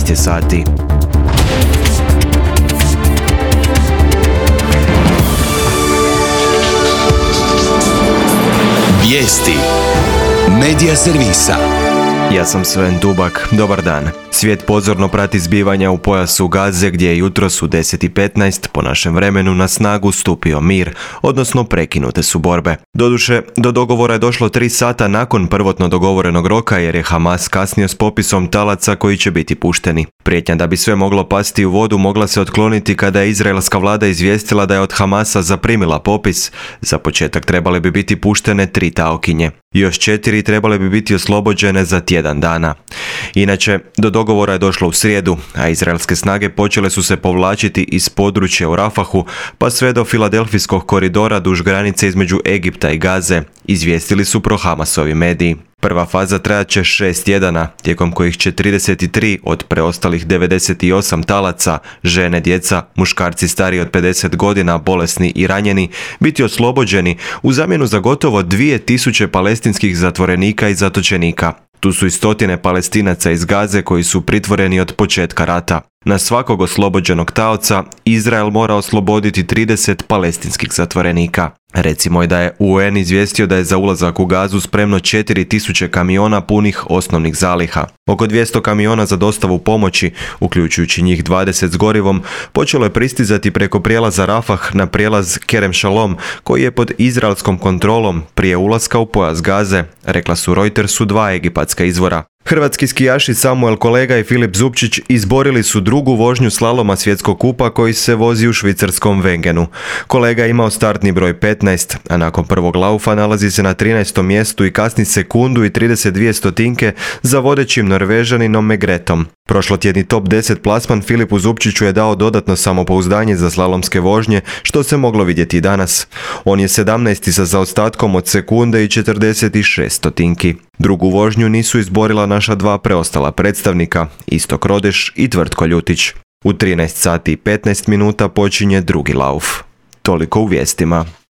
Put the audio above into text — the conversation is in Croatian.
13 je sati. Vijesti Medija servisa. Ja sam Sven Dubak, dobar dan. Svijet pozorno prati zbivanja u pojasu Gaze gdje je jutros u 10:15 po našem vremenu na snagu stupio mir, odnosno prekinute su borbe. Doduše, do dogovora je došlo 3 sata nakon prvotno dogovorenog roka jer je Hamas kasnio s popisom talaca koji će biti pušteni. Prijetnja da bi sve moglo pasti u vodu mogla se otkloniti kada je izraelska vlada izvijestila da je od Hamasa zaprimila popis. Za početak trebale bi biti puštene 3 taokinje. Još 4 trebale bi biti oslobođene za tjedan dana. Inače, do dogovora je došlo u srijedu, a izraelske snage počele su se povlačiti iz područja u Rafahu pa sve do Filadelfijskog koridora duž granice između Egipta i Gaze, izvijestili su pro-Hamasovi mediji. Prva faza trajat će 6 tjedana, tijekom kojih će 33 od preostalih 98 talaca, žene, djeca, muškarci stariji od 50 godina, bolesni i ranjeni, biti oslobođeni u zamjenu za gotovo 2000 palestinskih zatvorenika i zatočenika. Tu su i stotine Palestinaca iz Gaze koji su pritvoreni od početka rata. Na svakog oslobođenog taoca Izrael mora osloboditi 30 palestinskih zatvorenika. Recimo je da je UN izvijestio da je za ulazak u Gazu spremno 4000 kamiona punih osnovnih zaliha. Oko 200 kamiona za dostavu pomoći, uključujući njih 20 s gorivom, počelo je pristizati preko prijelaza Rafah na prijelaz Kerem Shalom, koji je pod izraelskom kontrolom prije ulaska u pojas Gaze, rekla su Reutersu 2 egipatska izvora. Hrvatski skijaši Samuel Kolega i Filip Zupčić izborili su drugu vožnju slaloma svjetskog kupa koji se vozi u švicarskom Wengenu. Kolega je imao startni broj 15, a nakon prvog laufa nalazi se na 13. mjestu i kasni sekundu i 32 stotinke za vodećim Norvežaninom Megretom. Prošlotjedni top 10 plasman Filipu Zupčiću je dao dodatno samopouzdanje za slalomske vožnje, što se moglo vidjeti i danas. On je 17. sa zaostatkom od sekunde i 46 stotinki. Drugu vožnju nisu izborila naša 2 preostala predstavnika, Istok Rodeš i Tvrtko Ljutić. U 13 sati i 15 minuta počinje drugi lauf. Toliko u vijestima.